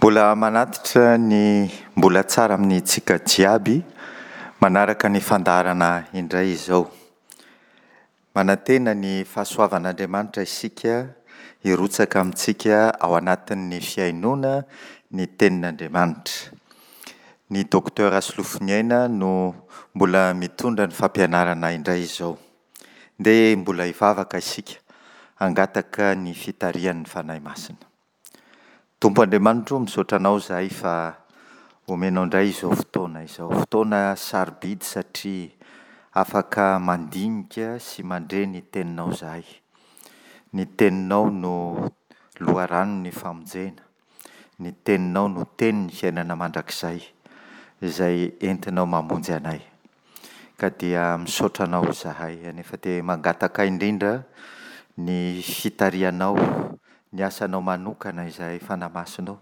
Mbola manatitra ny mbola tsara amintsika jiaby manaraka ny fandaharana indray izao. Manantena ny fahasoavan'Andriamanitra isika hirotsaka amintsika ao anatin'ny fihainoana ny tenin'Andriamanitra. Ny Docteur Rasolofoniaina no mbola mitondra ny fampianarana indray izao. Ndeha mbola hivavaka isika hangataka ny fitarihan'ny Fanahy Masina. Tompo Andriamanitro o, misaotra Anao izahay fa omenao indray izao fotoana izao. Fotoana sarobidy satria afaka mandinika sy mandre ny Teninao izahay. Ny Teninao no loharanon'ny famonjena. Ny Teninao no Tenin'ny fiainana mandrakizay izay entinao mamonjy anay. Ka dia misaotra Anao izahay. Nefa dia mangataka indrindra ny fitarihanao, ny asanao manokana izahay Fanahy Masina ô.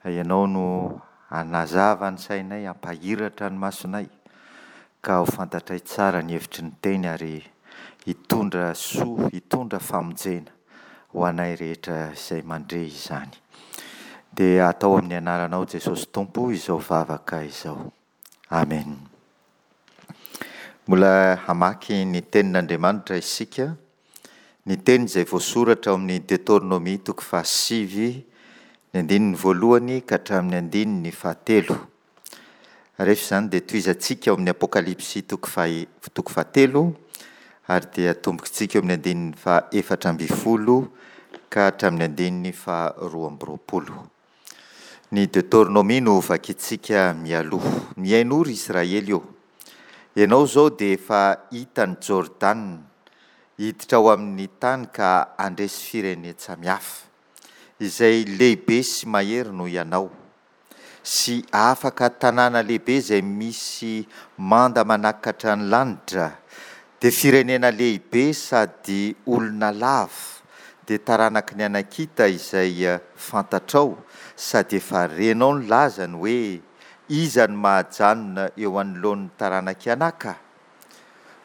Ianao no hanazava ny sainay, hampahiratra ny masonay, ka ho fantatray tsara ny hevitry ny Teny ary hitondra soa, hitondra famonjena ho anay rehetra izay mandre izany. Dia atao amin'ny anaranao Jesosy Tompo izao vavaka izao. Amen. Mbola hamaky ny tenin'Andriamanitra isika, ny teny izay voasoratra ao amin'ny Detornomia toko fahasivy, ny andininy voalohany ka hatramin'ny andininy fahatelo. Rehefa izany dia tohizantsika ao amin'ny Apokalypsy toko faha toko fahatelo ary dia atombokintsika eo amin'ny andininy faha 14 ka hatramin'ny andininy faha 22. Ny Deoteronomia no vakintsika mialoha. Mihainoa ry Israely ô! Ianao izao dia efa hita an'i Jordana, hiditra ao amin'ny tany ka handresy firenen-tsamihafa, izay lehibe sy mahery noho ianao, sy afaka tanàna lehibe izay misy manda manakatra ny lanitra, Dia firenena lehibe sady olona lava, dia taranaky ny Anakita izay fantatrao sady efa renao ny lazany hoe, Iza no mahajanona eo anoloan'ny taranak'i Anaka?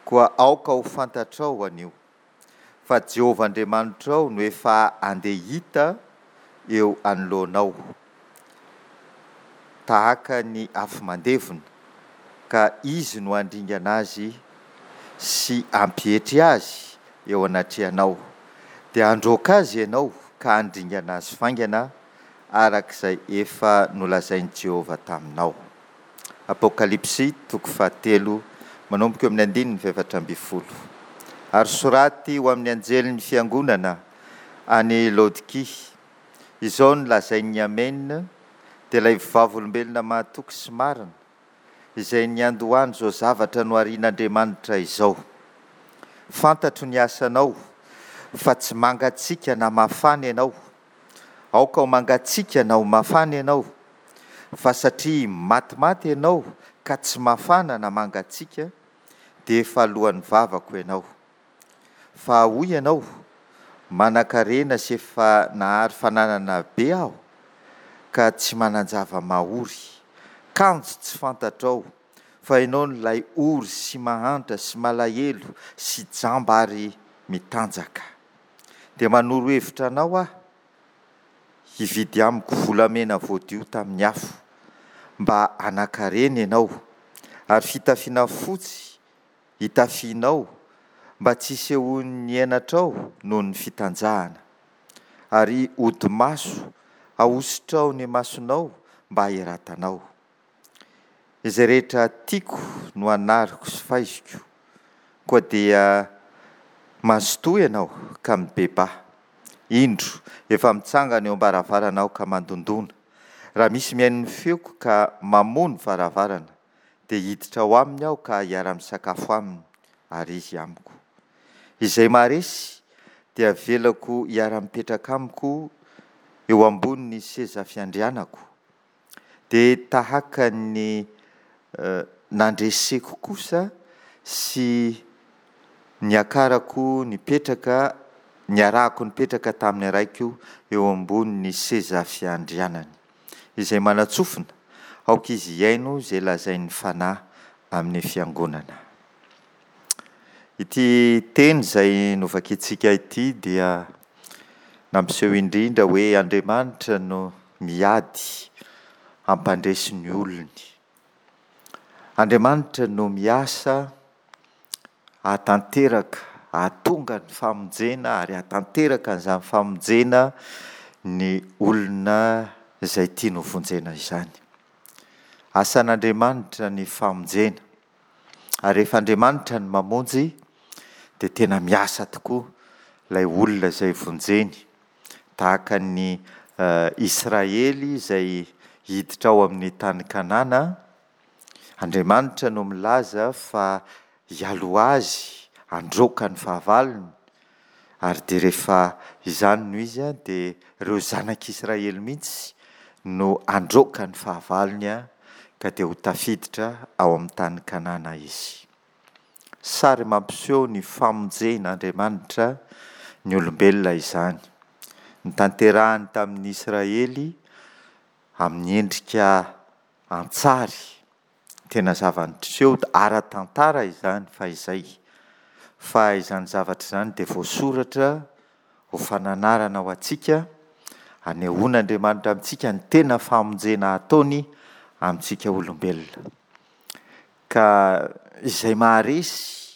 Koa aoka ho fantatrao anio, fa Jehovah Andriamanitrao no efa handeha hita eo anoloanao. tahaka ny afo mandevona, ka Izy no handringana azy sy hampietry azy eo anatrehanao. Dia handroaka azy ianao ka handringana azy faingana, araka izay efa nolazain'i Jehovah taminao. Apokalypsy, toko fahatelo, manomboka eo amin'ny andininy fahefatra ambin'ny folo. Ary soraty ho amin'ny anjelin'ny fiangonana any Laodikia, Izao no lazain'ny Amen, dia ilay vavolombelona mahatoky sy marina, izay niandohan'izao zavatra noharian'Andriamanitra izao. Fantatro ny asanao, fa tsy mangatsiaka na mafana ianao. Aoka ho mangatsiaka na ho mafana ianao, fa satria matimaty ianao ka tsy mafana na mangatsiaka, dia efa alohan'ny vavako ianao. Fa hoy ianao, Manankarena sy efa nahary fananana be aho, ka tsy manan-java-mahory. Kanjo tsy fantatrao fa ianao no ilay ory sy mahantra sy malahelo sy jamba ary mitanjaka. Dia manoro hevitra anao aho hividy amiko volamena voadio tamin'ny afo, mba hanan-karena ianao, ary fitafiana fotsy hitafianao mba tsy hisehoan'ny henatrao noho ny fitanjahana, ary hodi-maso ahositrao ny masonao mba hahiratanao. Izay rehetra tiako no anariko sy faiziko, koa dia mazotoa ianao ka mibebaha. Indro, efa mitsangana eo am-baravarana aho ka mandondòna. Raha misy mihaino ny feoko ka mamoha ny varavarana, dia hiditra ao aminy aho ka hiara-misakafo aminy, ary izy amiko. Izay maharesy dia avelako hiara-mipetraka amiko eo ambonin'ny seza fiandrianako, dia tahaka ny nandreseko kosa sy niakarako nipetraka, niarahako nipetraka tamin'ny Raiko eo ambonin'ny seza fiandrianany. Izay manan-tsofina, aoka izy hihaino izay lazain'ny Fanahy amin'ny fiangonana. Ity teny izay novakintsika ity dia nampiseho indrindra hoe Andriamanitra no. miady hampandresy ny olony. Andriamanitra no miasa hahatanteraka, hahatonga ny famonjena ary hahatanteraka an'izany famonjena ny olona izay tiany hovonjena izany. Asan'Andriamanitra ny famonjena. Ary rehefa Andriamanitra no mamonjy dia tena miasa tokoa ilay olona izay vonjeny. Tahaka ny Israely izay hiditra ao amin'ny tany Kanana, Andriamanitra no milaza fa hialoha azy handroaka ny fahavalony, ary dia rehefa izany no izy dia ireo zanak'Israely mihitsy no handroaka ny fahavalony ka dia ho tafiditra ao amin'ny tany Kanana izy. Sary mampiseho ny famonjen'Andriamanitra ny olombelona izany. Notanterahiny tamin'ny Israely amin'ny endrika an-tsary. Tena zava-niseho ara-tantara izany fahizay. Fa izany zavatra izany dia voasoratra ho fananarana ho antsika, anehoan'Andriamanitra amintsika ny tena famonjena ataony amintsika olombelona. Ka izay maharesy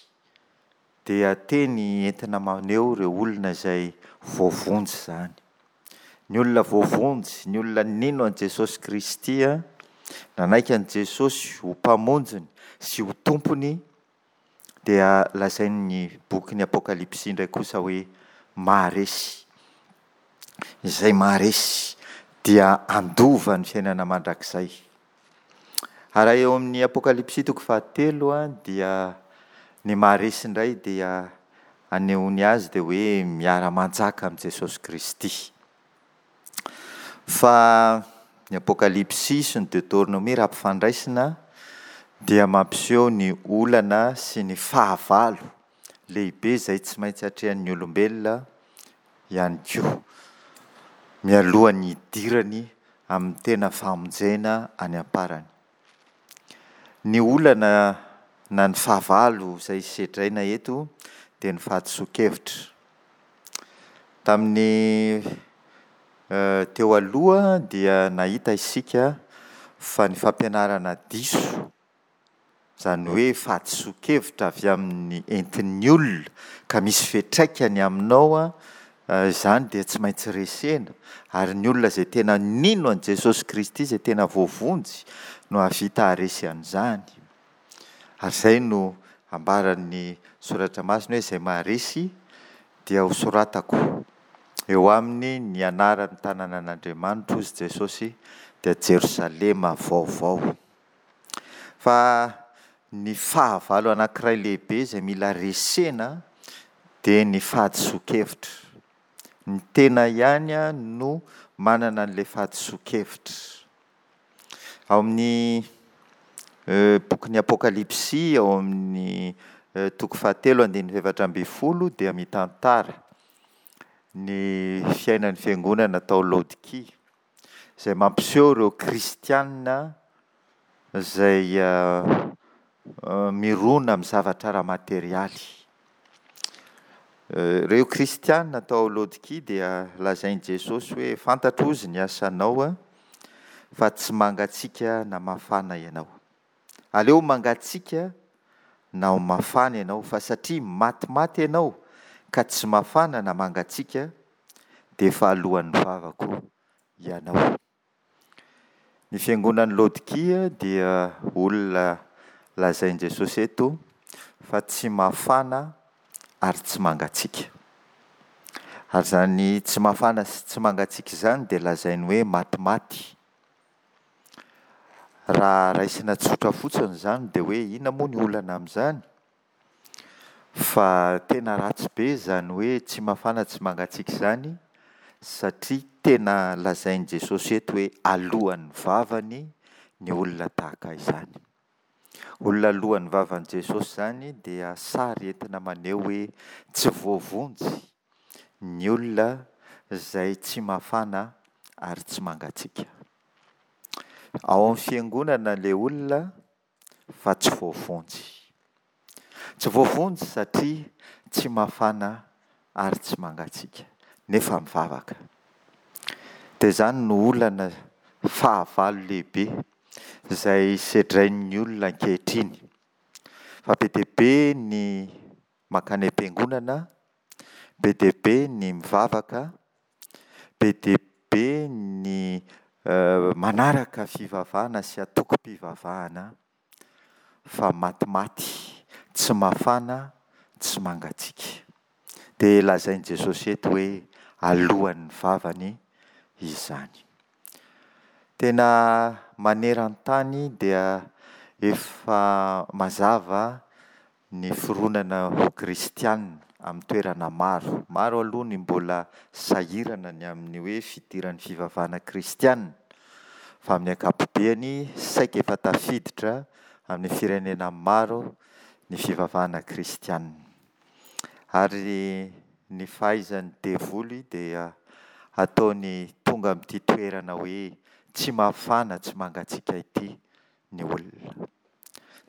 dia teny entina maneho ireo olona izay voavonjy izany. Ny olona voavonjy, ny olona nino an'i Jesosy Kristy, nanaiky an'i Jesosy ho Mpamonjiny sy ho Tompony dia lazain'ny bokin'ny Apokalypsy indray kosa hoe maharesy. Izay maharesy dia handova ny fiainana mandrakizay. Ary raha eo amin'ny Apokalypsy toko fahatelo dia ny maharesy indray dia anehoany azy dia hoe miara-manjaka amin'i Jesosy Kristy. Fa ny Apokalypsy sy ny Deoteronomia raha ampifandraisina dia mampiseho ny olana sy ny fahavalo lehibe izay tsy maintsy atrehan'ny olombelona ihany koa, mialohan'ny hidirany amin'ny tena famonjena any am-parany. Ny olana na ny fahavalo izay sedraina eto dia ny fahadisoan-kevitra. Tamin'ny teo aloha dia nahita isika fa ny fampianarana diso Izany hoe fahadisoan-kevitra avy amin'ny entin'ny olona ka misy fiantraikany aminao izany dia tsy maintsy resena ary ny olona izay tena nino an'i Jesosy Kristy izay tena voavonjy no hahavita haharesy an'izany. Ary izay no ambaran'ny Soratra Masina hoe izay maharesy dia hosoratako eo aminy ny anaran'ny tanànan'Andriamanitra hozy Jesosy dia Jerosalema vaovao. Fa ny fahavalo anankiray lehibe izay mila resena dia ny fahadisoan-kevitra. Ny tena ihany no manana an'ilay fahadisoan-kevitra. Ao amin'ny bokin'ny Apokalypsy, ao amin'ny toko fahatelo andininy fahefatra ambin'ny folo dia mitantara ny fiainan'ny fiangonana tao Laodikia. izay mampiseho ireo kristiana izay mirona amin'ny zavatra ara-materialy. Ireo kristiana tao Laodikia dia lazain'i Jesosy hoe fantatro hozy ny asanao fa tsy mangatsiaka na mafana ianao. Aleo mangatsiaka na ho mafana ianao, fa satria matimaty ianao ka tsy mafana na mangatsiaka, dia efa alohan'ny vavako ianao. Ny fiangonan'i Laodikia dia olona lazain'i Jesosy eto fa tsy mafana ary tsy mangatsiaka. Ary izany tsy mafana sy tsy mangatsiaka izany dia lazainy hoe matimaty. Raha raisina tsotra fotsiny izany dia hoe inona moa ny olana amin'izany? Fa tena ratsy be izany hoe tsy mafana tsy mangatsiaka izany satria tena lazain'i Jesosy eto hoe alohan'ny vavany ny olona tahaka izany. Olona alohan'ny vavan'i Jesosy izany dia sary entina maneho hoe tsy voavonjy ny olona izay tsy mafana ary tsy mangatsiaka. Ao amin'ny fiangonana ilay olona fa tsy voavonjy. Tsy voavonjy satria tsy mafana ary tsy mangatsiaka, nefa mivavaka. Dia izany no olana fahavalo lehibe izay sedrain'ny olona ankehitriny. Fa be dia be ny mankany am-piangonana, be dia be ny mivavaka, be dia be ny manaraka fivavahana sy antokom-pivavahana fa matimaty, tsy mafana, tsy mangatsiaka. Dia lazain'i Jesosy eto hoe alohan'ny vavany izany. Tena maneran-tany dia efa mazava ny fironana ho kristiana amin'ny toerana maro. Maro aloha ny mbola sahirana ny amin'ny hoe fidiran'ny fivavahana kristiana, fa amin'ny ankapobeny saika efa tafiditra amin'ny firenena maro ny fivavahana kristiana. Ary ny fahaizan'ny devoly dia ataony tonga amin'ity toerana hoe tsy mafana tsy mangatsiaka ity ny olona.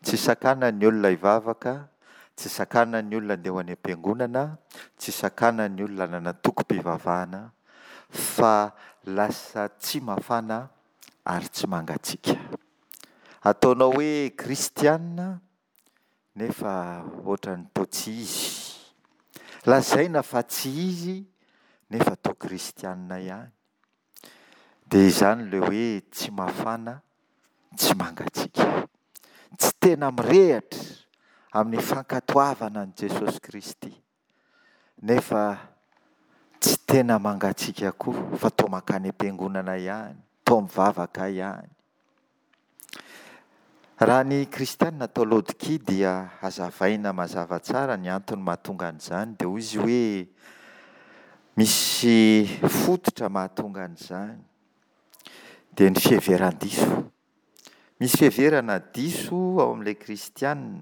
Tsy sakana ny olona hivavaka, tsy sakana ny olona handeha ho any am-piangonana, tsy sakana ny olona hanana tokim-pivavahana, fa lasa tsy mafana ary tsy mangatsiaka. Ataonao hoe kristiana nefa ohatran'ny toa tsy izy. Lazaina fa tsy izy nefa toa kristiana ihany. Dia izany ilay hoe tsy mafana, tsy mangatsiaka. Tsy tena mirehatra amin'ny fankatoavana an'i Jesosy Kristy, nefa tsy tena mangatsiaka koa fa toa mankany am-piangonana ihany, toa mivavaka ihany. Raha ny kristiana tao Laodikia dia hazavaina mazava tsara ny antony mahatonga an'izany dia hoy izy hoe misy fototra mahatonga an'izany dia ny fiheveran-diso. Misy fiheverana diso ao amin'ilay kristiana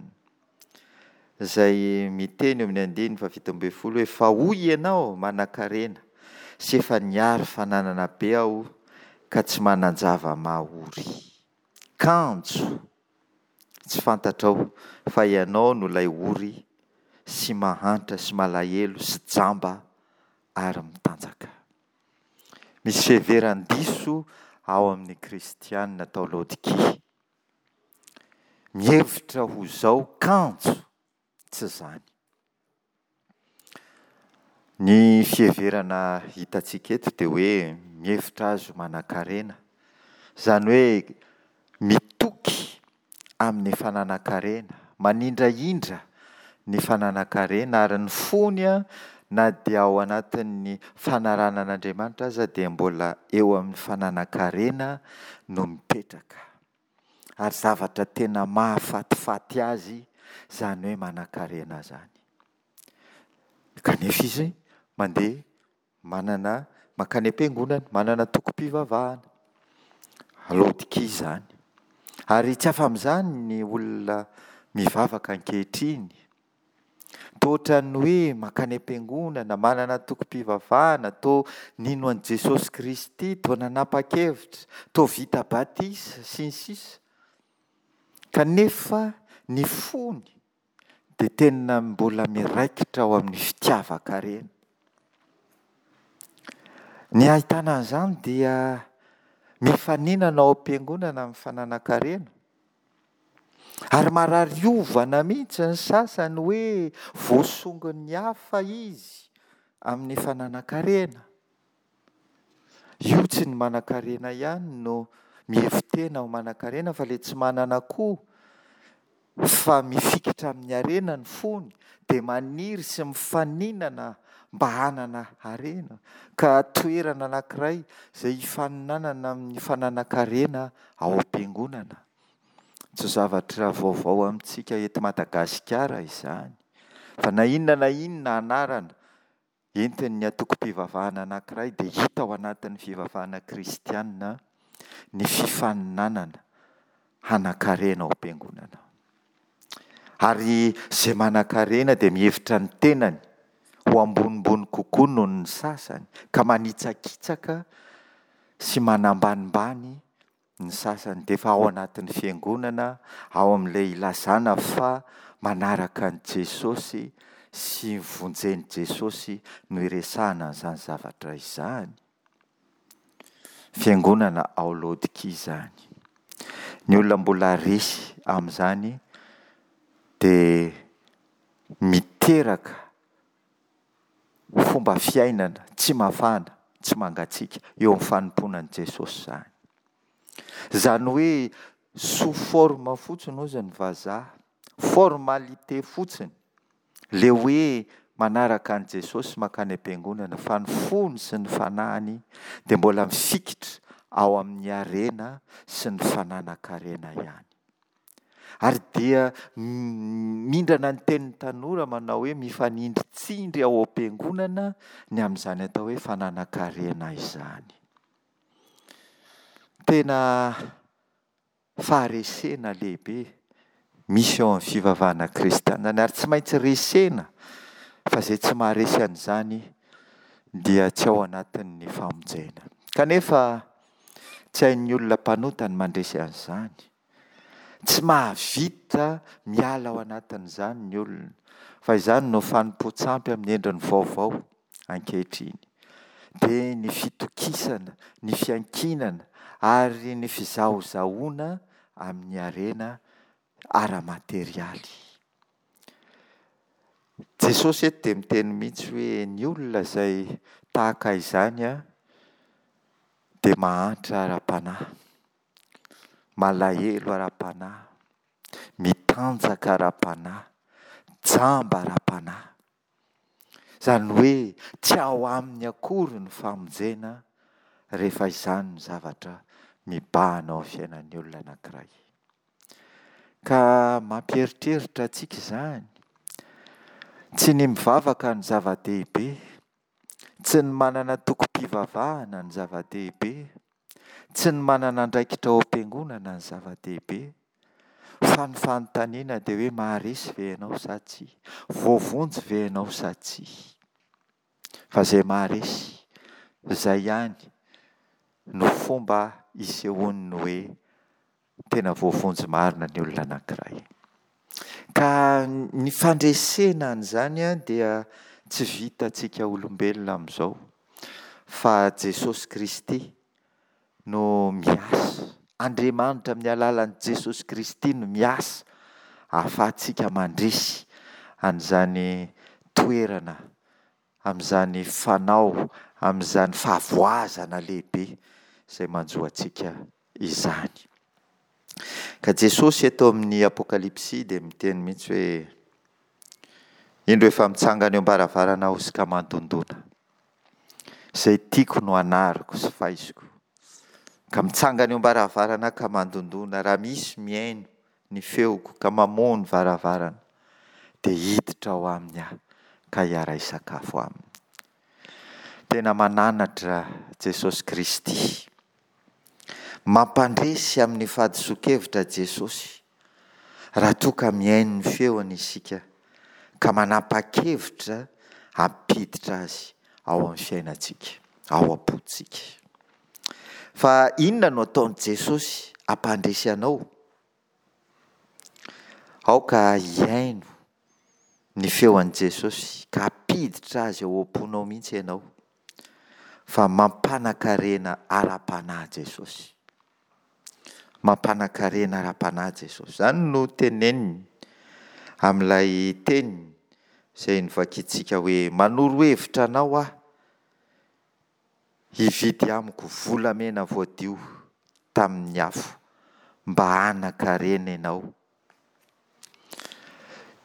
izay miteny eo amin'ny andininy faha-17 hoe fa hoy ianao manankarena sy efa niary fananana be aho ka tsy manan-java-mahory. Kanjo tsy fantatrao fa ianao no ilay ory sy mahantra sy malahelo sy jamba ary mitanjaka. Misy fiheveran-diso ao amin'ny kristiana tao Laodikia. Mihevitra ho izao kanjo tsy izany. Ny fiheverana hitantsika eto dia hoe mihevitra azy ho manankarena, izany hoe mitoky amin'ny fananan-karena, manindrahindra ny fananan-karena ary ny fony na dia ao anatin'ny fanarahana an'Andriamanitra aza dia mbola eo amin'ny fananan-karena no mipetraka. Ary zavatra tena mahafatifaty azy izany hoe manankarena izany. Kanefa izy mandeha manana mankany am-piangonana, manana tokom-pivavahana. Laodikia izany. Ary tsy afa-amin'izany ny olona mivavaka ankehitriny. Toa ohatran'ny hoe mankany am-piangonana, manana tokom-pivavahana, toa nino an'i Jesosy Kristy, toa nanapa-kevitra, toa vita batisa, sy ny sisa. Kanefa ny fony dia tena mbola miraikitra ao amin'ny fitiavan-karena. Ny ahitana an'izany dia mifaninana ao am-piangonana amin'ny fananan-karena. Ary marary ovana mihitsy ny sasany hoe voasongon'ny hafa izy amin'ny fananan-karena. Io tsy ny manankarena ihany no mihevi-tena ho manankarena fa ilay tsy manana koa fa mifikitra amin'ny harena ny fony dia maniry sy mifaninana mba hanana harena ka toerana anankiray izay hifaninanana amin'ny fananan-karena ao am-piangonana. Tsy zavatra vaovao amintsika eto Madagasikara izany fa na inona na inona anarana entin'ny antokom-pivavahana anankiray dia hita ao anatin'ny fivavahana kristiana ny fifaninanana hanan-karena ao am-piangonana. Ary izay manan-karena dia mihevitra ny tenany ho ambonimbony kokoa noho ny sasany ka manitsakitsaka sy manambanimbany ny sasany dia efa ao anatin'ny fiangonana, ao amin'ilay ilazana fa manaraka an'i Jesosy sy vonjen'i Jesosy no iresahana an'izany zavatra izany. Fiangonana ao Laodikia izany. Ny olona mbola resy amin'izany dia miteraka fomba fiainana tsy mafana, tsy mangatsiaka eo amin'ny fanompoana an'i Jesosy izany. Izany hoe sous forme fotsiny hozy ny vazaha, formalité fotsiny le hoe manaraka an'i Jesosy mankany am-piangonana fa ny fony sy ny fanahiny dia mbola mifikitra ao amin'ny harena sy ny fananan-karena ihany. Ary dia mindrana ny tenin'ny tanora manao hoe mifanindritsindry ao am-piangonana ny amin'izany atao hoe fananan-karena izany. Tena faharesena lehibe misy eo amin'ny fivavahana kristiana ary tsy maintsy resena fa izay tsy maharesy an'izany dia tsy ao anatin'ny famonjena. Kanefa tsy hain'ny olona mpanota ny mandresy an'izany. Tsy mahavita miala ao anatin'izany ny olona fa izany no fanompoan-tsampy amin'ny endriny vaovao ankehitriny. Dia ny fitokisana, ny fiankinana ary ny fizahozahoana amin'ny harena ara-materialy. Jesosy eto dia miteny mihitsy hoe ny olona izay tahaka izany dia mahantra ara-panahy, malahelo ara-panahy, mitanjaka ara-panahy, jamba ara-panahy. Izany hoe tsy ao aminy akory ny famonjena rehefa izany ny zavatra mibahana ao amin'ny fiainan'ny olona anankiray. Ka mampieritreritra antsika izany. Tsy ny mivavaka no zava-dehibe, tsy ny manana tokom-pivavahana no zava-dehibe, Tsy ny manana andraikitra ao am-piangonana ny zava-dehibe, fa ny fanontaniana dia hoe maharesy ve ianao sa tsia? Voavonjy ve ianao sa tsia? Fa izay maharesy, izay ihany no fomba isehoan'ny hoe tena voavonjy marina ny olona anankiray. Ka ny fandresena an'izany dia tsy vitantsika olombelona amin'izao fa Jesosy Kristy no miasa. Andriamanitra amin'ny alalan'i Jesosy Kristy no miasa ahafahantsika mandresy an'izany toerana, amin'izany fanao, amin'izany fahavoazana lehibe izay manjo antsika izany. Ka Jesosy eto amin'ny Apokalypsy dia miteny mihitsy hoe, Indro efa mitsangana eo am-baravarana aho sy ka mandondona. Izay tiako no anariko sy faiziko. Ka mitsangana eo am-baravarana aho ka mandondona, raha misy mihaino ny feoko ka mamoha ny varavarana, dia hiditra ao aminy aho ka hiara-hisakafo aminy. Tena mananatra Jesosy Kristy. Mampandresy amin'ny fahadisoan-kevitra Jesosy raha toa ka mihaino ny feony isika ka manapa-kevitra hampiditra Azy ao amin'ny fiainantsika, ao am-pontsika. Fa inona no ataon'i Jesosy hampandresy anao? Aoka hihaino ny feon'i Jesosy ka hampiditra Azy ao am-ponao mihitsy ianao. Fa mampanan-karena ara-panahy Jesosy. Mampanan-karena ara-panahy Jesosy. Izany no teneniny amin'ilay teniny izay novakintsika hoe manoro hevitra anao aho hividy amiko volamena voadio tamin'ny afo mba hanan-karena ianao.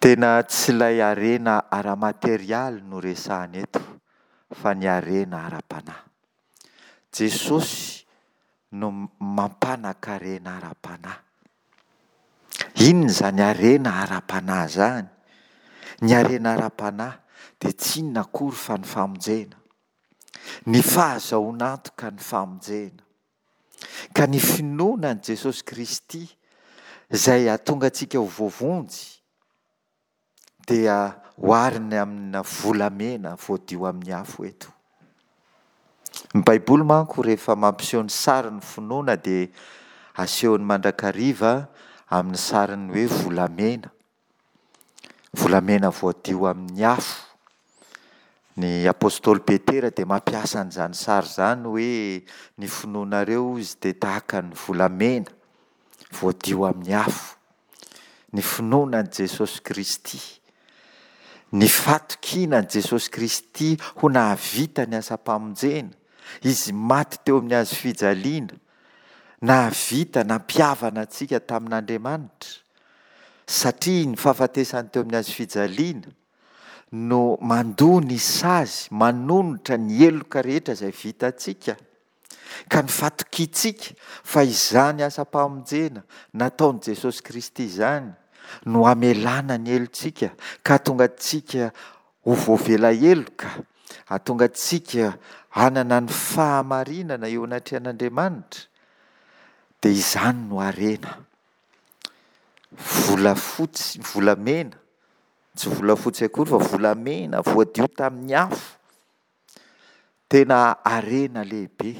Tena tsy ilay harena ara-materialy no resahana eto fa ny harena ara-panahy. Jesosy no mampanan-karena ara-panahy. Inona izany harena ara-panahy izany? Ny harena ara-panahy dia tsy inona akory fa ny famonjena. Ny fahazahoana antoka ny famonjena. Ka ny finoana an'i Jesosy Kristy izay hahatonga antsika ho voavonjy dia ohariny amina volamena voadio amin'ny afo eto. Ny Baiboly manko rehefa mampiseho ny sarin'ny finoana dia asehony mandrakariva amin'ny sarin'ny hoe volamena. Volamena voadio amin'ny afo. Ny apostoly Petera dia mampiasa an'izany sary izany hoe ny finoanareo hozy dia tahaka ny volamena voadio amin'ny afo. Ny finoana an'i Jesosy Kristy, ny fatokiana an'i Jesosy Kristy ho nahavita ny asam-pamonjena, Izy maty teo amin'ny hazo fijaliana, nahavita nampihavana antsika tamin'Andriamanitra, satria ny fahafatesany teo amin'ny hazo fijaliana, no mandoa ny sazy, manonitra ny heloka rehetra izay vitantsika, ka ny fatokiantsika fa izany asam-pamonjena nataon'i Jesosy Kristy izany no hamelana ny helotsika ka hahatonga antsika ho voavela heloka, hahatonga antsika hanana ny fahamarinana eo anatrehan'Andriamanitra, dia izany no harena. Volafotsy, volamena Tsy volafotsy akory fa volamena voadio tamin'ny afo. Tena harena lehibe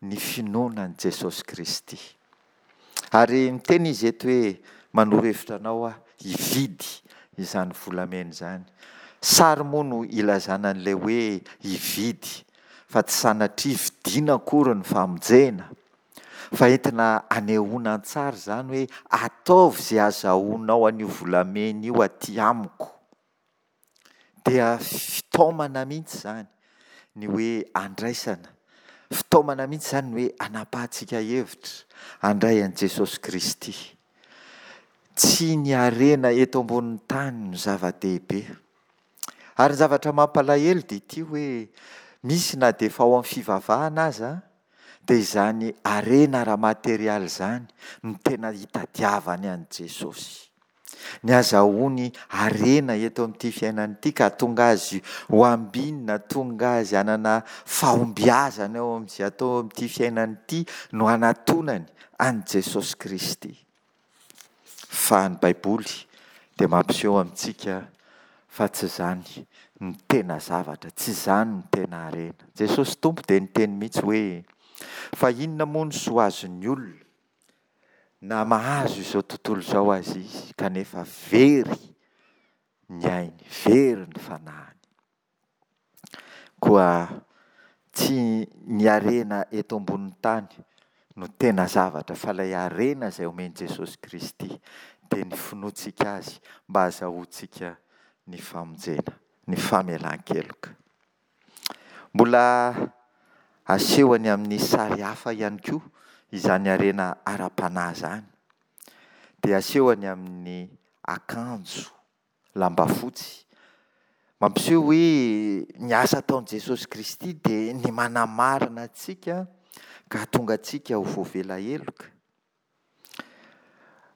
ny finoana an'i Jesosy Kristy. Ary miteny izy eto hoe manoro hevitra anao aho hividy izany volamena izany. Sary moa no ilazana an'ilay hoe hividy fa tsy sanatria vidiana akory ny famonjena. Fa entina anehoana an-tsary izany hoe ataovy izay azahoanao an'io volamena io aty amiko. Dia fitaomana mihitsy izany ny hoe andraisana, fitaomana mihitsy izany ny hoe anapahantsika hevitra handray an'i Jesosy Kristy. Tsy ny harena eto ambonin'ny tany no zava-dehibe. Ary ny zavatra mampalahelo dia ity hoe misy na dia efa ao amin'ny fivavahana aza dia izany harena ara-materialy izany no tena hitadiavany an'i Jesosy. Ny azahoany harena eto amin'ity fiainana ity ka hahatonga azy ho ambinina, hahatonga azy hanana fahombiazana eo amin'izay atao amin'ity fiainana ity no hanatonany an'i Jesosy Kristy. Fa ny Baiboly dia mampiseho amintsika fa tsy izany no tena zavatra, tsy izany no tena harena. Jesosy Tompo dia niteny mihitsy hoe, Fa inona moa no soa azon'ny olona na mahazo izao tontolo izao aza izy kanefa very ny ainy, very ny fanahiny? Koa tsy ny harena eto ambonin'ny tany no tena zavatra fa ilay harena izay omen'i Jesosy Kristy dia ny finoantsika Azy mba hazahoantsika ny famonjena, ny famelan-keloka. Mbola asehony amin'ny sary hafa ihany koa izany harena ara-panahy izany. Dia asehony amin'ny akanjo lamba fotsy. Mampiseho hoe ny asa ataon'i Jesosy Kristy dia ny manamarina antsika ka hahatonga antsika ho voavela heloka.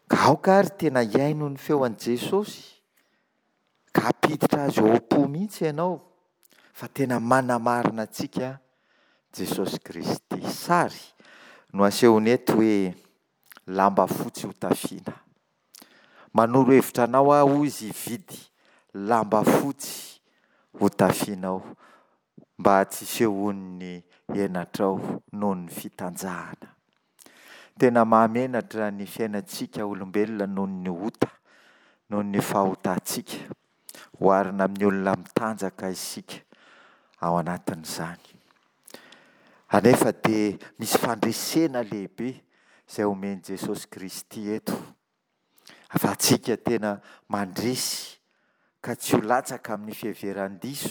Ka aoka ary tena hihaino ny feo an'i Jesosy ka hampiditra azy ao am-po mihitsy ianao fa tena manamarina antsika Jesosy Kristy. Sary no asehony eto hoe lamba fotsy hotafiana. Manoro hevitra anao aho hoy izy hividy lamba fotsy hotafianao mba tsy hisehoan'ny henatrao noho ny fitanjahana. Tena mahamenatra ny fiainantsika olombelona noho ny ota, noho ny fahotantsika. Oharina amin'ny olona mitanjaka isika ao anatin'izany. Anefa dia misy fandresena lehibe izay omen'i Jesosy Kristy eto. Ahafahantsika tena mandresy ka tsy ho latsaka amin'ny fiheveran-diso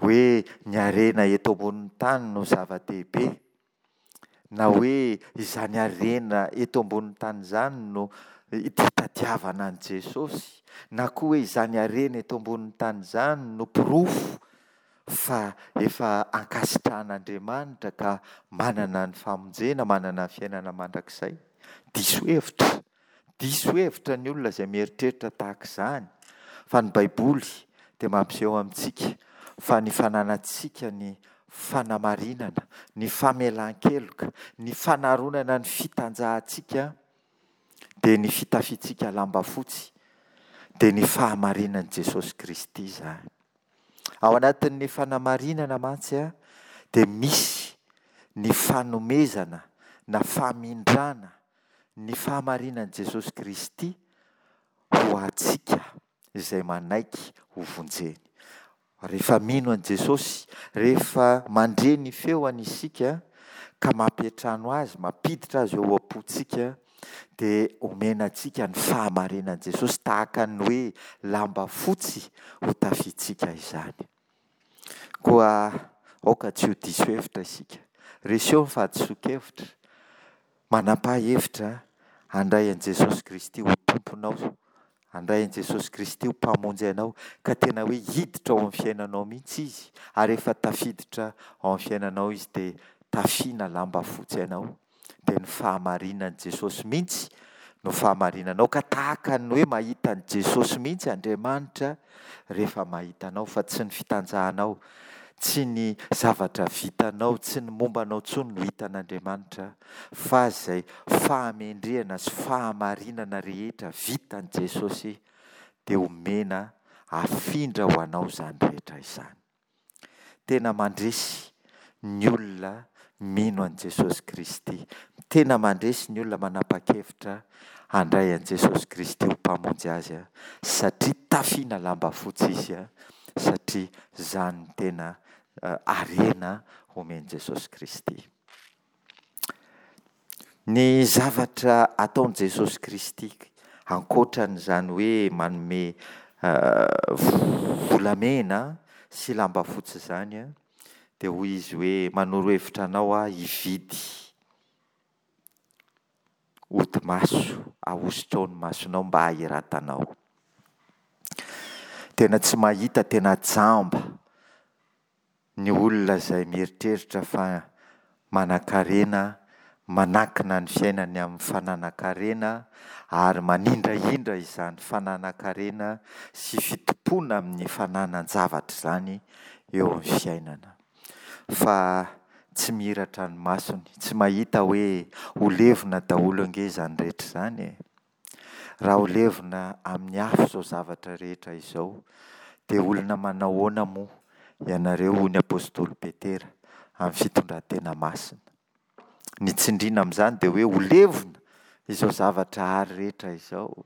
hoe ny harena eto ambonin'ny tany no zava-dehibe. Na hoe izany harena eto ambonin'ny tany izany no itadiavana an'i Jesosy, na koa hoe izany harena eto ambonin'ny tany izany no porofo fa efa ankasitrahan'Andriamanitra ka manana ny famonjena, manana ny fiainana mandrakizay. Diso hevitra. Diso hevitra ny olona izay mieritreritra tahaka izany, fa ny Baiboly dia mampiseho amintsika fa ny fananantsika ny fanamarinana, ny famelan-keloka, ny fanaronana ny fitanjahantsika dia ny fitafiantsika lamba fotsy, dia ny fahamarinan'i Jesosy Kristy izany. Ao anatin'ny fanamarinana mantsy dia misy ny fanomezana na famindrana ny fahamarinan'i Jesosy Kristy ho antsika izay manaiky ho vonjeny. Rehefa mino an'i Jesosy, rehefa mandre ny feony isika ka mampiantrano Azy, mampiditra Azy ao am-pontsika, dia omena antsika ny fahamarinan'i Jesosy tahaka ny hoe lamba fotsy ho tafiantsika izany. Koa aoka tsy ho diso hevitra isika. Reseo ny fahadisoan-kevitra. Manapaha hevitra handray an'i Jesosy Kristy ho Tomponao, handray an'i Jesosy Kristy ho Mpamonjy anao, ka tena hoe hiditra ao amin'ny fiainanao mihitsy Izy, ary rehefa tafiditra ao amin'ny fiainanao Izy dia tafiana lamba fotsy anao, dia ny fahamarinan'i Jesosy mihitsy no fahamarinanao, ka tahaka ny hoe mahita an'i Jesosy mihitsy Andriamanitra rehefa mahita anao, fa tsy ny fitanjahanao, tsy ny zavatra vitanao, tsy ny momba anao intsony no hitan'Andriamanitra, fa izay fahamendrehana sy fahamarinana rehetra vitan'i Jesosy dia omena afindra ho anao izany rehetra izany. Tena mandresy ny olona mino an'i Jesosy Kristy. Tena mandresy ny olona manapa-kevitra handray an'i Jesosy Kristy ho Mpamonjy azy satria tafiana lamba fotsy izy satria izany no tena harena omen'i Jesosy Kristy. Ny zavatra ataon'i Jesosy Kristy ankoatran'izany hoe manome volamena sy lamba fotsy izany dia hoy izy hoe manoro hevitra anao aho hividy odi-maso ahosotrao ny masonao mba hahiratanao. Tena tsy mahita, tena jamba Ny olona izay mieritreritra fa manankarena, manankina ny fiainany amin'ny fananan-karena ary manindrahindra izany fananan-karena sy fitompoana amin'ny fananan-javatra izany eo amin'ny fiainana. Fa tsy mihiratra ny masony, tsy mahita hoe ho levona daholo ange izany rehetra izany e! Raha ho levona amin'ny afo izao zavatra rehetra izao, dia olona manao ahoana moa ianareo, hoy ny apostoly Petera, amin'ny fitondran-tena masina? Ny tsindriana amin'izany dia hoe ho levona izao zavatra àry rehetra izao.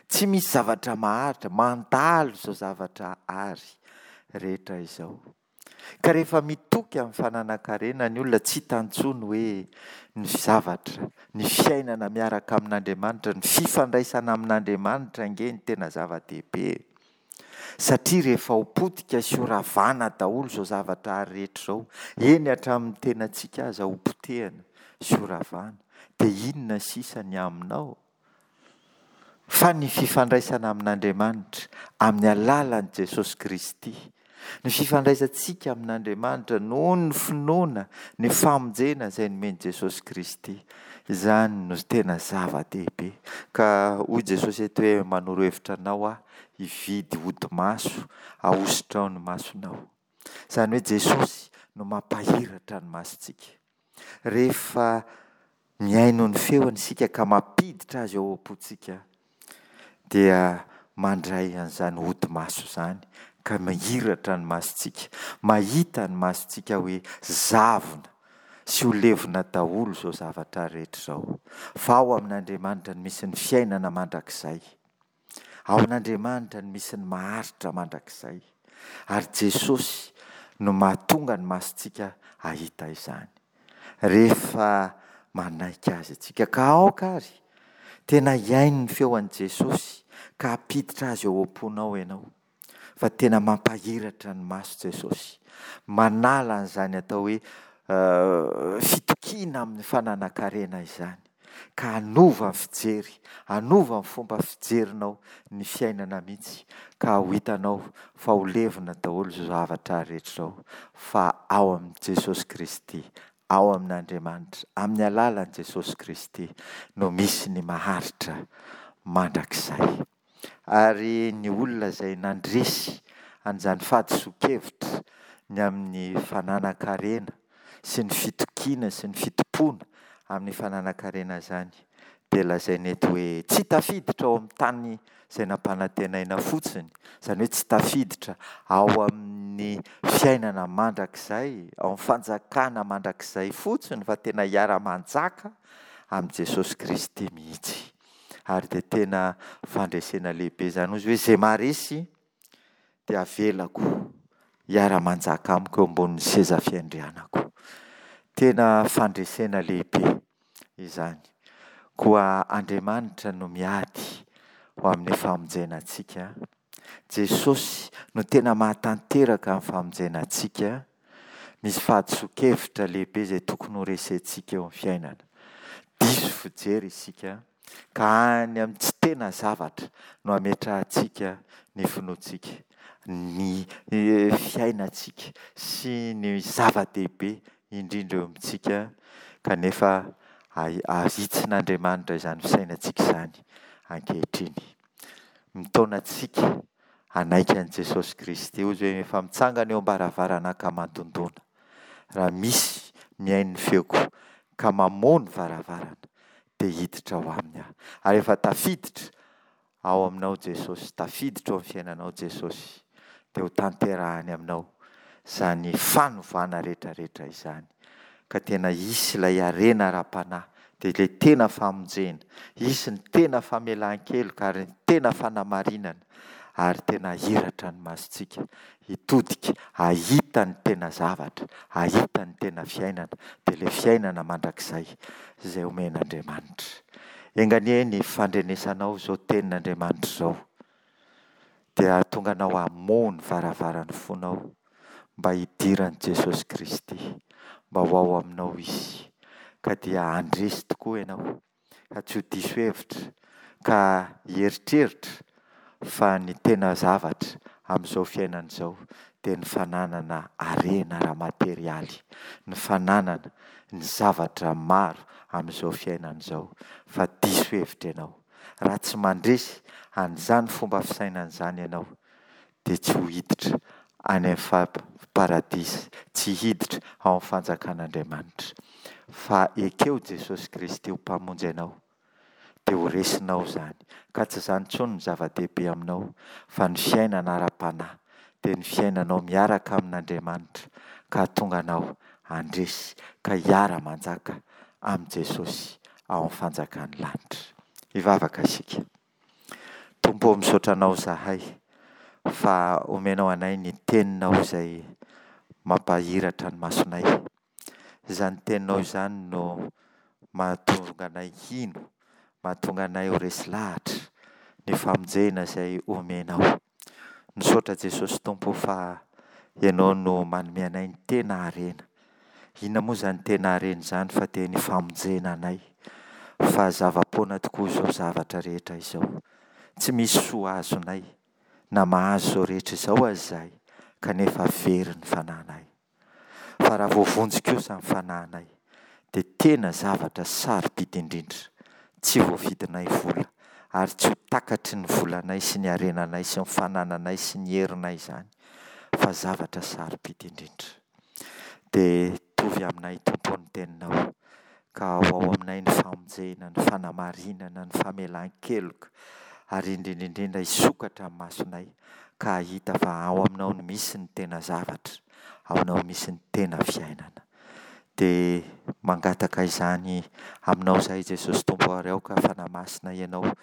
Tsy misy zavatra maharitra, mandalo izao zavatra àry rehetra izao. Ka rehefa mitoky amin'ny fananan-karena ny olona, tsy hitany intsony hoe ny zavatra, ny fiainana miaraka amin'Andriamanitra, ny fifandraisana amin'Andriamanitra ange no tena zava-dehibe e. Satria rehefa ho potika sy ho ravana daholo izao zavatra ary rehetra izao, eny hatramin'ny tenantsika aza ho potehina sy ho ravana, dia inona sisa ny aminao? Fa ny fifandraisana amin'Andriamanitra amin'ny alalan'i Jesosy Kristy, ny fifandraisantsika amin'Andriamanitra noho ny finoana ny famonjena izay nomen'i Jesosy Kristy, izany no tena zava-dehibe. Ka hoy Jesosy eto hoe manoro hevitra anao aho hividy hodi-maso ahosotrao ny masonao. Izany hoe Jesosy no mampahiratra ny masontsika. Rehefa mihaino ny feony isika ka mampiditra azy ao am-pontsika dia mandray an'izany hodi-maso izany ka mihiratra ny masontsika, mahita ny masontsika hoe zavona sy ho levona daholo izao zavatra rehetra izao. Fa ao amin'Andriamanitra no misy ny fiainana mandrakizay. Ao amin'Andriamanitra no misy ny maharitra mandrakizay. Ary Jesosy no mahatonga ny masontsika hahita izany. Rehefa manaiky Azy isika. Ka aoka ary tena hihaino ny feo an'i Jesosy ka hampiditra Azy ao am-ponao ianao. Fa tena mampahiratra ny maso Jesosy. Manala an'izany atao hoe fitokiana amin'ny fananan-karena izany. ka hanova ny fijery, hanova ny fomba fijerinao ny fiainana mihitsy ka ho hitanao fa ho levona daholo izao zavatra rehetra izao fa ao amin'i Jesosy Kristy, ao amin'Andriamanitra, amin'ny alalan'i Jesosy Kristy no misy ny maharitra mandrakizay. Ary ny olona izay nandresy an'izany fahadisoan-kevitra ny amin'ny fananan-karena sy ny fitokiana sy ny fitompoana amin'ny fananan-karena izany dia lazaina eto hoe tsy tafiditra ao amin'ny tany izay nampanantenaina fotsiny, izany hoe tsy tafiditra ao amin'ny fiainana mandrakizay, ao amin'ny fanjakana mandrakizay fotsiny fa tena hiara-manjaka amin'i Jesosy Kristy mihitsy. Ary dia tena fandresena lehibe izany hozy hoe izay maharesy dia avelako. hiara-manjaka amiko eo ambonin'ny seza fiandrianako. Tena fandresena lehibe izany. Koa Andriamanitra no miady ho amin'ny famonjena antsika. Jesosy no tena mahatanteraka ny famonjena antsika. Misy fahadisoan-kevitra lehibe izay tokony horesentsika eo amin'ny fiainana. Diso fijery isika ka any amin'ny tsy tena zavatra no ametrahantsika ny finoantsika, ny fiainantsika sy ny zava-dehibe indrindra eo amintsika kanefa ahitsin'Andriamanitra izany fisainantsika izany ankehitriny. Mitaona antsika hanaiky an'i Jesosy Kristy. Hoy izy hoe efa mitsangana eo am-baravarana ka mandondona. Raha misy mihaino ny feoko ka mamoha ny varavarana dia hiditra ao aminy aho. Ary efa tafiditra ao aminao Jesosy, tafiditra ao amin'ny fiainanao Jesosy, dia ho tanterahany aminao izany fanovana rehetrarehetra izany. Ka tena hisy ilay harena ara-panahy, dia ilay tena famonjena, hisy ny tena famelan-keloka ary ny tena fanamarinana, ary tena hahiratra ny masontsika hitodika hahita ny tena zavatra, hahita ny tena fiainana, dia ilay fiainana mandrakizay izay omen'Andriamanitra. Enga anie ny fandrenesanao izao tenin'Andriamanitra izao dia hahatonga anao hamoha ny varavaran'ny fonao mba hidiran'i Jesosy Kristy, mba ho ao aminao Izy, ka dia handresy tokoa ianao. ka tsy ho diso hevitra ka hieritreritra fa ny tena zavatra amin'izao fiainana izao dia ny fananana harena ara-materialy, ny fananana ny zavatra maro amin'izao fiainana izao fa diso hevitra ianao. Raha tsy mandresy an'izany fomba fisainana izany ianao dia tsy ho hiditra any amin'ny paradisa, tsy hiditra ao amin'ny fanjakan'Andriamanitra. Fa ekeo Jesosy Kristy ho Mpamonjy anao, dia ho resinao izany. Ka tsy izany intsony no zava-dehibe aminao, fa ny fiainana ara-panahy, dia ny fiainanao miaraka amin'Andriamanitra, ka hahatonga anao handresy, ka hiara-manjaka amin'i Jesosy ao amin'ny fanjakan'ny lanitra. Hivavaka isika. Tompo ô misaotra anao izahay fa omenao anay ny teninao izay mampahiratra ny masonay. Izany teninao izany no mahatonga anay hino, mahatonga anay ho resy lahatra ny famonjena izay omenao. Misaotra Jesosy Tompo fa Ianao no manome anay ny tena harena. Inona moa izany tena harena izany fa dia ny famonjena anay. Fa zava-poana tokoa izao zavatra rehetra izao. Tsy misy soa azonay na mahazo izao rehetra izao aza izahay kanefa very ny fanahinay. Fa raha voavonjy kosa ny fanahinay dia tena zavatra sarobidy indrindra, tsy voavidinay vola ary tsy ho takatry ny volanay sy ny harenanay sy ny fanananay sy ny herinay izany fa zavatra sarobidy indrindra. Dia tovy aminay Tompo ny teninao ka ho ao aminay ny famonjena, ny fanamarinana, ny famelan-keloka ary indrindra indrindra hisokatra ny masonay ka hahita fa ao aminao no misy ny tena zavatra, ao aminao misy ny tena fiainana. Dia mangataka izany aminao izahay Jesosy Tompo ary aoka Fanahy Masina Ianao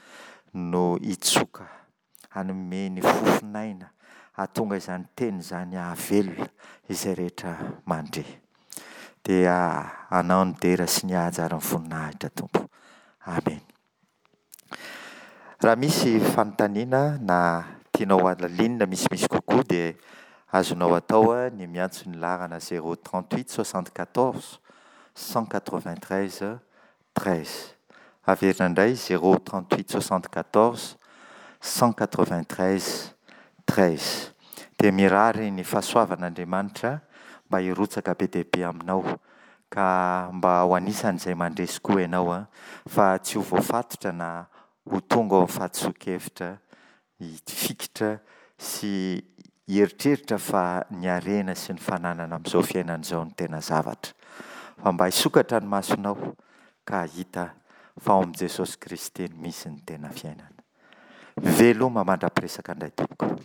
no hitsoka hanome ny fofon'aina hahatonga izany teny izany hahavelona izay rehetra mandre. Dia Anao ny dera sy ny haja ary ny voninahitra Tompo. Amena. Raha misy fanontaniana na tianao halalinina misimisy kokoa dia azonao atao ny miantso ny laharana 038 74 193 13. Averina indray 0 38 74 193 13. Dia mirary ny fahasoavan'Andriamanitra mba hirotsaka be dia be aminao ka mba ho anisan'izay mandresy koa ianao fa tsy ho voafatotra na ho tonga ao amin'ny fahadisoan-kevitra hifikitra sy hieritreritra fa ny harena sy ny fananana amin'izao fiainana izao no tena zavatra. Fa mba hisokatra ny masonao ka hahita fa ao amin'i Jesosy Kristy no misy ny tena fiainana. Veloma mandra-piresaka indray tompoko.